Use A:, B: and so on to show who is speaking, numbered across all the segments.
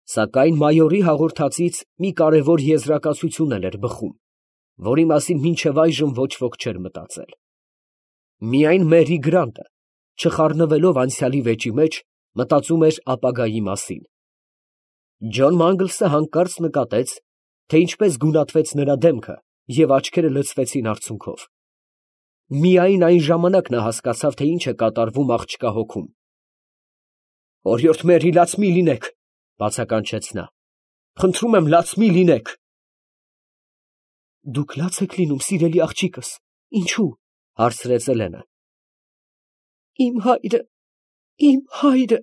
A: Սակայն մայորի հաղորդածից մի կարևոր եզրակացություն էլ էր բխում, որի մասին մինչև այժմ ոչ ոք չէր մտածել. միայն Մերի Գրանտը, չխառնվելով անցյալի վեճի մեջ, մտածում էր ապագայի մասին։ Ջոն Մանգլսը հանկարծ նկատեց, թե ինչպես գունատվեց նրա դեմքը և աչքերը լցվեցին արցունքով։ Միայն այն ժամանակ նա հասկացավ, թե ինչ է կատարվում աղջկա հոգում։ «Օրիորդ Մերի, լաց մի լինեք», ֊ բացականչեց նա։ «Խնդրում եմ, լաց մի լինեք»։ «Դուք լաց եք լինում, սիրելի աղջիկս, ինչո՞ւ», ֊ հարցրեց Էլենը։ «Իմ հայրը,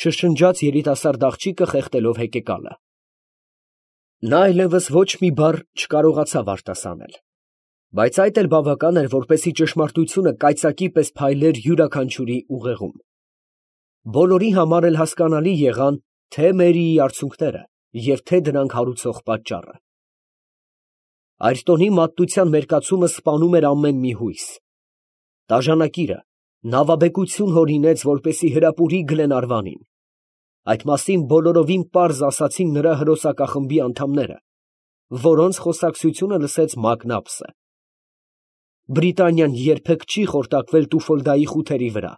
A: շշնջաց երիտասարդ աղջիկը, խեղդելով հեկեկալը։ Նա այլևս ոչ մի բառ չկարողացավ արտասանել, բայց այդ էլ բավական էր, որպեսզի ճշմարտությունը կայծակի պես փայլեր յուրաքանչյուրի ուղեղում։ Բոլորի համար էլ հասկանալի եղան թե Մերիի արցունքները և թե դրանք հարուցող պատճառը։ Այրտոնի մատության մերկացումը սպանում էր ամեն մի հույս։ Տաժանակիրը նավաբեկություն հորինեց, որպեսզի հրապուրի Գլենարվանին։ Այդ մասին բոլորովին պարզ ասացին նրա հրոսակախմբի անդամները, որոնց խոսակցությունը լսեց Մակնաբսը։ Բրիտանիան երբեք չի խորտակվել Տուֆոլդայի խութերի վրա։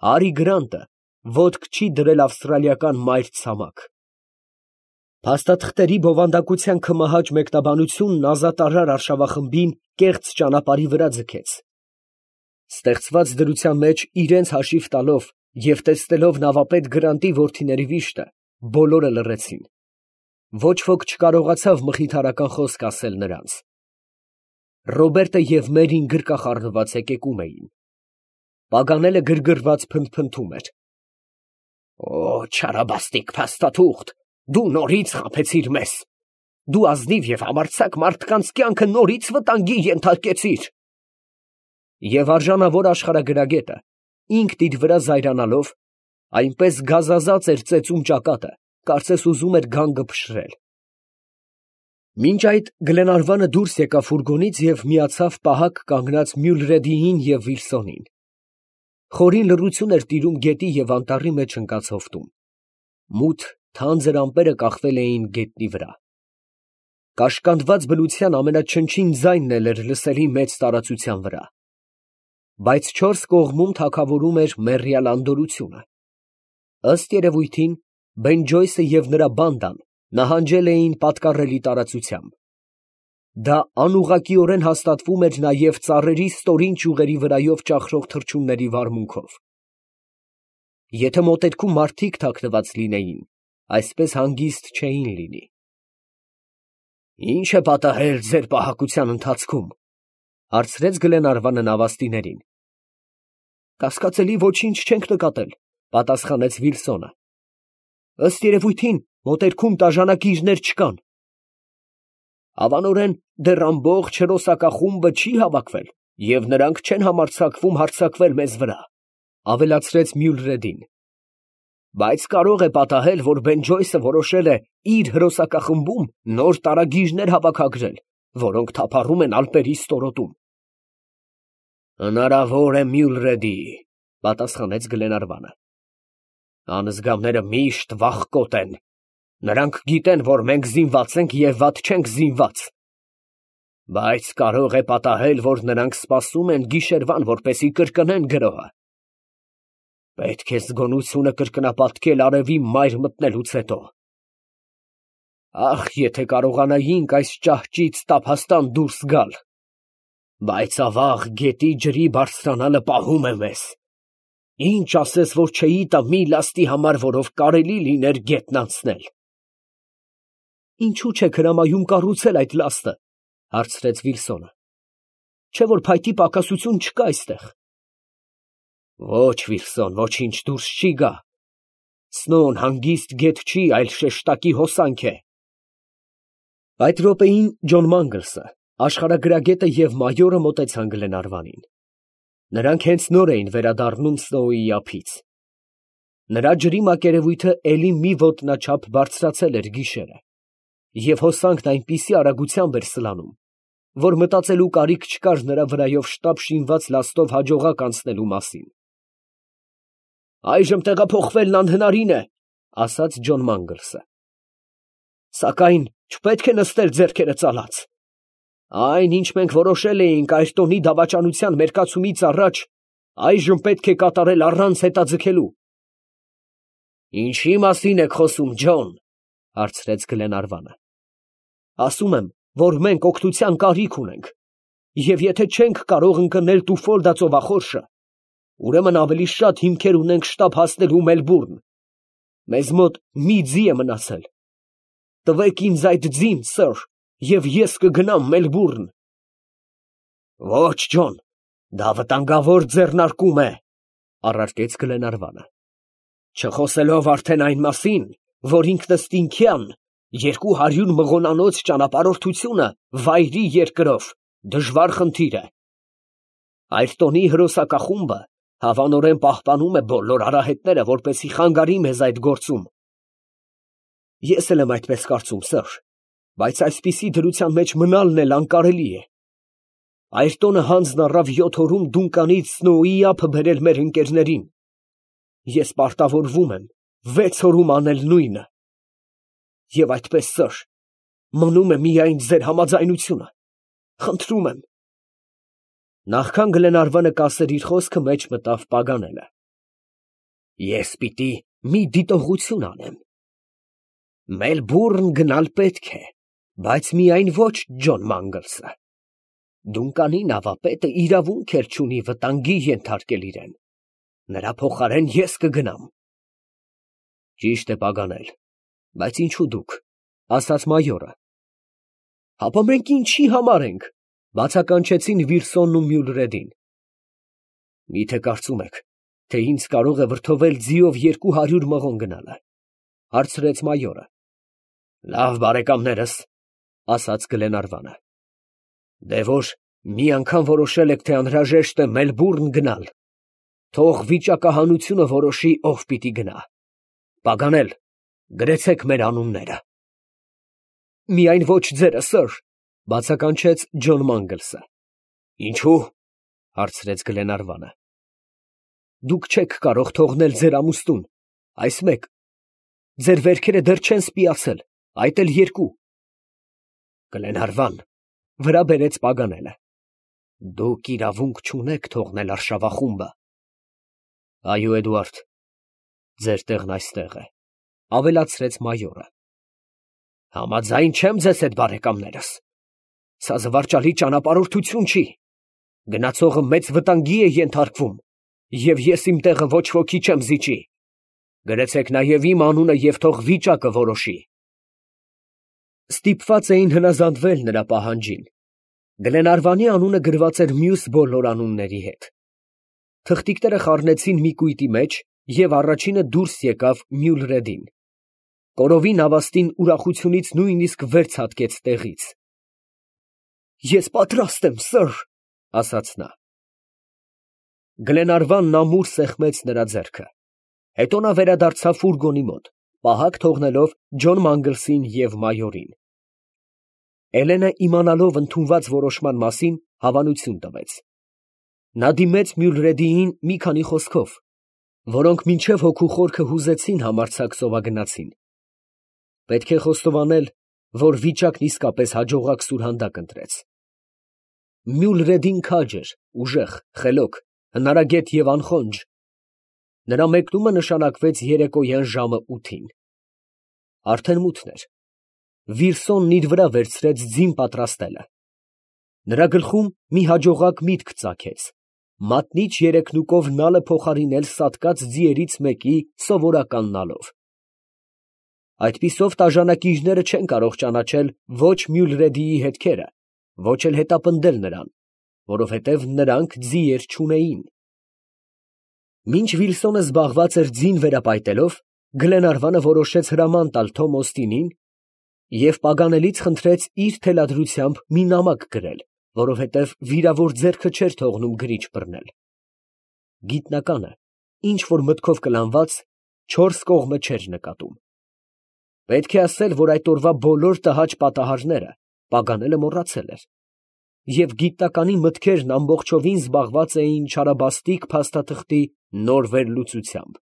A: Հարի Գրանտը ոտք չի դրել ավստրալիական մայրցամաք։ Փաստաթղթերի բովանդակության քմահաճ մեկնաբանությունն ազատարար արշավախմբին կեղծ ճանապարհի վրա ձգեց։ Ստեղծված դրության մեջ իրենց հաշիվ տալով և տեսնելով նավապետ Գրանտի որդիների վիշտը, բոլորը լռեցին։ Ոչ ոք չկարողացավ մխիթարական խոսք ասել նրանց։ Ռոբերտը և Մերին գրկախառնված հեկեկում էին։ Պագանելը գրգռված փնթփնթում էր. «Օ, չարաբաստիկ փաստաթուղթ, դու նորից խաբեցիր մեզ։ Դու ազնիվ և համարձակ մարդկանց կյանքը նորից վտանգի ենթարկեցիր»։ Եվ արժանավոր աշխարհագրագետը, ինքն իր վրա զայրանալով, այնպես գազազած էր ծեծում ճակատը, կարծես ուզում էր գանգը փշրել։ Մինչ այդ Գլենարվանը դուրս եկավ ֆուրգոնից և միացավ պահակ կանգնած Մյուլրեդիին և Վիլսոնին։ Խորին լռություն էր տիրում գետի և անտառի մեջ ընկած հովտում։ Մութ, թանձր ամպերը կախվել էին գետնի վրա։ Կաշկանդված բնության ամենաչնչին ձայնն էլ էր լսելի մեծ տարածության վրա։ Բայց չորս կողմում թագավորում էր մեռյալ անդորrությունը։ Ըստ երևույթին, Բեն Ջոյսը և նրա բանդան նահանջել էին պատկառելի տարածությամբ։ Դա անուղղակիորեն հաստատվում էր նաև ծառերի ստորին ճյուղերի վրայով ճախրող թռչունների վարմունքով։ Եթե մոտերքում մարդիկ թաքնված լինեին, այսպես հանգիստ չէին լինի։ «Ի՞նչ է պատահել ձեր պահակության ընթացքում», ֊ հարցրեց Գլենարվանը նավաստիներին։ «Կասկածելի ոչինչ չենք նկատել», ֊ պատասխանեց Վիլսոնը։ «Ըստ երևույթին, մոտերքում տաժանակիրներ չկան»։ «Հավանորեն դեռ ամբողջ հրոսակախումբը չի հավաքվել, և նրանք չեն համարձակվում հարձակվել մեզ վրա», ֊ ավելացրեց Մյուլրեդին։ «Բայց կարող է պատահել, որ Բեն Ջոյսը որոշել է իր հրոսակախմբում նոր տարագիրներ հավաքագրել, որոնք թափառում են ալպերի ստորոտում»։ «Հնարավոր է, Մյուլրեդի», ֊ պատասխանեց Գլենարվանը։ «Անզգավները միշտ վախկոտ են. նրանք գիտեն, որ մենք զինված ենք և վատ չենք զինված։ Բայց կարող է պատահել, որ նրանք սպասում են գիշերվան, որպեսզի կրկնեն գրոհը։ Պետք է զգոնությունը կրկնապատկել արևի մայր մտնելուց հետո։ Ախ, եթե կարողանայինք այս ճահճից տափաստան դուրս գալ։ Բայց ավաղ գետի ջրի բարձրանալը պահում է մեզ։ Ինչ ասես, որ չէի տա մի լաստի համար, որով կարելի լիներ գետն անցնել»։ «Ինչո՞ւ չեք հրամայում կառուցել այդ լաստը», ֊ հարցրեց Վիլսոնը։ «Չէ՞ որ փայտի պակասություն չկա այստեղ»։ «Ոչ, Վիլսոն, ոչինչ դուրս չի գա։ Սնոն հանգիստ գետ չի, այլ շեշտակի հոսանք է»։ Այդ րոպեին Ջոն Մանգլսը, աշխարհագրագետը և մայորը մոտեցան Գլենարվանին։ Նրանք հենց նոր էին վերադառնում Սնոուի ափից։ Նրա ջրի մակերևույթը էլի մի ոտնաչափ բարձրացել էր գիշերը, և հոսանքն այնպիսի արագությամբ էր սլանում, որ մտածելու կարիք չկար նրա վրայով շտապ շինված լաստով հաջողակ անցնելու մասին։ «Այժմ տեղափոխվելն անհնարին է», ֊ ասաց Ջոն Մանգլսը։ Սակայն չպետք է նստել ձեռքերը ծալած։ Այն, ինչ մենք որոշել էինք Այրտոնի դավաճանության մերկացումից առաջ, այժմ պետք է կատարել առանց հետաձգելու։ Ինչի մասին եք խոսում, Ջոն, հարցրեց Գլենարվանը։ Ասում եմ, որ մենք օգնության կարիք ունենք, և եթե չենք կարող ընկնել Տուֆոլդա ծովախորշը, ուրեմն ավելի շատ հիմքեր ունենք շտապ հասնելու Մելբուրն։ Մեզ մոտ մի ձի է մնացել։ Տվեք ինձ այդ ձին, սըր, և ես կգնամ Մելբուրն։ Ոչ, Ջոն, դա վտանգավոր ձեռնարկում է, առարկեց Գլենարվանը, չխոսելով արդեն այն մասին, որ ինքնըստինքյան 200 մղոնանոց ճանապարհորդությունը վայրի երկրով դժվար խնդիր է։ Այրտոնի հրոսակախումբը հավանորեն պահպանում է բոլոր արահետները, որպեսզի խանգարի մեզ այդ գործում։ Ես էլ եմ այդպես կարծում, սըր, բայց այսպիսի դրության մեջ մնալն էլ անկարելի է։ Այրտոնը հանձն առավ 7 օրում Դունկանից Սնոուի ափը բերել մեր ընկերներին։ Ես պարտավորվում եմ 6 օրում անել նույնը։ Եվ այդպես, սըր, մնում է միայն ձեր համաձայնությունը։ Խնդրում եմ։ Նախքան Գլենարվանը կասեր իր խոսքը, մեջ մտավ Պագանելը։ Ես պիտի մի դիտողություն անեմ։ Մելբուրն գնալ պետք է, բայց միայն ոչ Ջոն Մանգլսը։ Դունկանի նավապետը իրավունք էլ չունի վտանգի ենթարկել իրեն։ Նրա փոխարեն ես կգնամ։ Ճիշտ է, Պագանել, բայց ինչու դուք, ասաց մայորը։ Հապա մենք ինչի համար ենք, բացականչեցին Վիրսոնն ու Մյուլրեդին։ Միթե կարծում եք, թե ինձ կարող է վրդովել ձիով 200 մղոն գնալը, հարցրեց մայորը։ Լավ, բարեկամներս, ասաց Գլենարվանը, դե որ մի անգամ որոշել եք, թե անհրաժեշտ է Մելբուրն գնալ, թող վիճակահանությունը որոշի, ով պիտի գնա։ Պագանել, գրեցեք մեր անունները։ Միայն ոչ ձերը, սըր, բացականչեց Ջոն Մանգլսը։ Ինչու՞, հարցրեց Գլենարվանը։ Դուք չեք կարող թողնել ձեր ամուստուն, այս մեկ, ձեր վերքերը դեռ չեն սպիացել, այդ էլ 2։ Գլենարվան, վրա բերեց Պագանելը։ Դուք իրավունք չունեք թողնել արշավախումբը։ Այո, Էդուարդ, ձեր տեղն այստեղ է, ավելացրեց մայորը։ Համաձայն չեմ ձեզ հետ, բարեկամներս։ Սա զվարճալի ճանապարհորդություն չի։ Գնացողը մեծ վտանգի է ենթարկվում, և ես իմ տեղը ոչ ոքի չեմ զիջի։ Գրեցեք նաև իմ անունը և թող վիճակը որոշի։ Ստիպված էին հնազանդվել նրա պահանջին։ Գլենարվանի անունը գրված էր մյուս բոլոր անունների հետ։ Թղթիկները խառնեցին մի կույտի մեջ, և առաջինը դուրս եկավ Մյուլրեդին։ Կորովի նավաստին ուրախությունից նույնիսկ վեր ցատկեց տեղից։ Ես պատրաստ եմ, սըր, ասաց նա։ Գլենարվանն ամուր սեղմեց նրա ձեռքը։ Հետո նա վերադարձավ ֆուրգոնի մոտ, պահակ թողնելով Ջոն Մանգլսին և մայորին։ Էլենը, իմանալով ընդունված որոշման մասին, հավանություն տվեց։ Նա դիմեց Մյուլրեդիին մի քանի խոսքով, որոնք մինչև հոգու խորքը հուզեցին համարձակ սովագնացին։ Պետք է խոստովանել, որ վիճակն իսկապես հաջողակ սուրհանդակ ընտրեց։ Մյուլրեդին քաջ էր, ուժեղ, խելոք, հնարագետ և անխոնջ։ Նրա մեկնումը նշանակվեց երեկոյան ժամը 8-ին։ Արդեն մութն էր։ Վիրսոնն իր վրա վերցրեց ձին պատրաստելը։ Նրա գլխում մի հաջողակ միտք ծագեց՝ մատնիչ երեքնուկով նալը փոխարինել սատկած ձիերից մեկի սովորական նալով։ Այդպիսով տաժանակիչները չեն կարող ճանաչել ոչ Մյուլրեդիի հետքերը, ոչ էլ հետապնդել նրան, որովհետև նրանք ձիեր չունեին։ Մինչ Վիլսոնը զբաղված էր ձին վերապայտելով, Գլենարվանը որոշեց հրաման տալ Թոմ Օստինին և Պագանելից խնդրեց իր թելադրությամբ մի նամակ գրել, որովհետև վիրավոր ձեռքը չէր թողնում գրիչ բռնել։ Գիտնականը, ինչ որ մտքով կլանված, 4 կողմը չէր նկատում։ Պետք է ասել, որ այդ օրվա բոլոր տհաճ պատահարները Պագանելը մոռացել էր, և գիտնականի մտքերն ամբողջովին զբաղված էին չարաբաստիկ փաստաթղթի նոր վերլուծությամբ։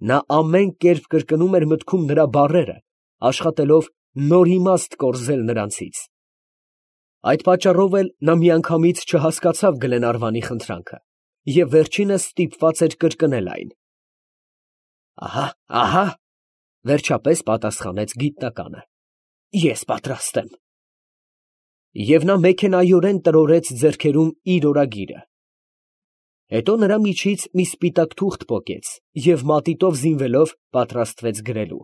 A: Նա ամեն կերպ կրկնում էր մտքում նրա բառերը, աշխատելով նոր իմաստ կորզել նրանցից։ Այդ պատճառով էլ նա միանգամից չհասկացավ Գլենարվանի խնդրանքը և վերջինս ստիպված էր կրկնել այն։ Ահա, ահա, վերջապես պատասխանեց գիտնականը, ես պատրաստ եմ։ Եվ նա մեքենայորեն տրորեց ձեռքերում իր օրագիրը։ Հետո նրա միջից մի սպիտակ թուղթ պոկեց և մատիտով զինվելով պատրաստվեց գրելու։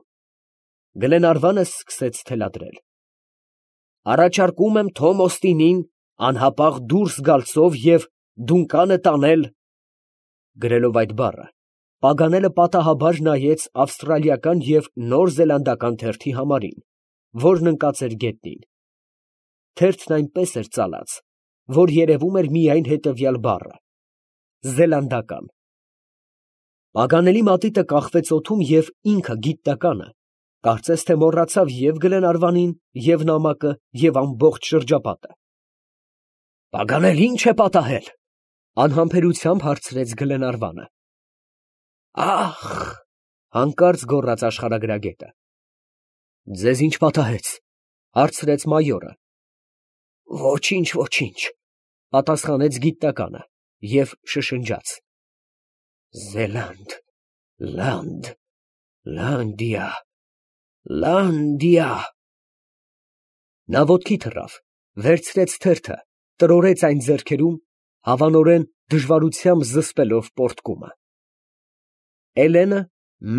A: Գլենարվանը սկսեց թելադրել. «Առաջարկում եմ Թոմ Օստինին անհապաղ դուրս գալ ծով և Դունկանը տանել…» Գրելով այդ բառը, Պագանելը պատահաբար նայեց ավստրալիական և նոր զելանդական թերթի համարին, որն ընկած էր գետնին։ Թերթն այնպես էր ծալած, որ երևում էր միայն հետևյալ բառը. «Զելանդական»։ Պագանելի մատիտը կախվեց օդում և ինքը գիտնականը կարծես թե մոռացավ և Գլենարվանին, և նամակը, և ամբողջ շրջապատը։ «Պագանել, ի՞նչ է պատահել», ֊ անհամբերությամբ հարցրեց Գլենարվանը։ «Ա՜խ», ֊ հանկարծ գոռաց աշխարհագրագետը։ «Ձեզ ի՞նչ պատահեց», ֊ հարցրեց մայորը։ «Ոչինչ, ոչինչ», ֊ պատասխանեց գիտնականը և շշնջաց. «Զելանդ, լանդ, Լանդիա, Լանդիա»։ Նա ոտքի թռավ, վերցրեց թերթը, տրորեց այն ձեռքերում, հավանորեն դժվարությամբ զսպելով պոռթկումը։ Էլենը,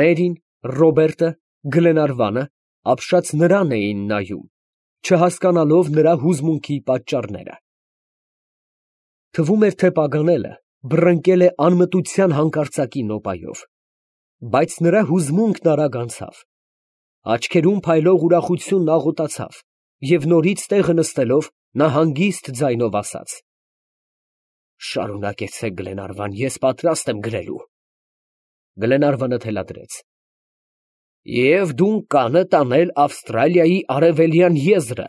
A: Մերին, Ռոբերտը, Գլենարվանը ապշած նրան էին նայում, չհասկանալով նրա հուզմունքի պատճառները։ Թվում էր, թե Պագանելը բռնկել է անմտության հանկարծակի նոպայով, բայց նրա հուզմունքն արագ անցավ։ Աչքերում փայլող ուրախությունն աղոթացավ, և նորից տեղը նստելով, նա հանգիստ ձայնով ասաց. «Շարունակեցեք, Գլենարվան, ես պատրաստ եմ գրելու»։ Գլենարվանը թելադրեց. «Եվ Դունկանը տանել Ավստրալիայի արևելյան եզրը»։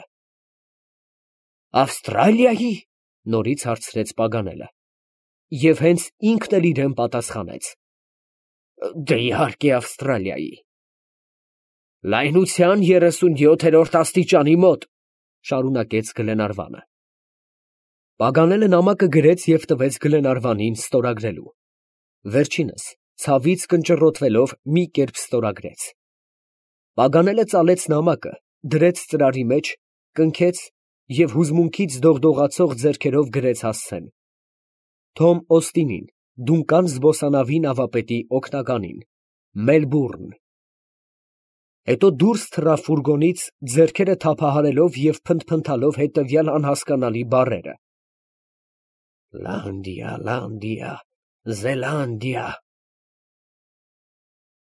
A: «Ավստրալիայի՞, ֊ նորից հարցրեց Պագանելը, և հենց ինքն էլ իրան պատասխանեց. «Դե, իհարկե, Ավստրալիայի»։ «Լայնության 37-րդ աստիճանի մոտ», ֊ շարունակեց Գլենարվանը։ Պագանելը նամակը գրեց և տվեց Գլենարվանին ստորագրելու։ Վերջինս ցավից կնճռոտվելով մի կերպ ստորագրեց։ Պագանելը ծալեց նամակը, դրեց ծրարի մեջ, կնքեց և հուզմունքից դողդողացող ձեռքերով գրեց հասցեն. Թոմ Օստինին, Դունկան զբոսանավի նավապետի օգնականին, Մելբուրն։ Հետո դուրս թռավ ֆուրգոնից, ձեռքերը թափահարելով և փնթփնթալով հետևյալ անհասկանալի բառերը. «Լանդիա, Լանդիա, Զելանդիա»։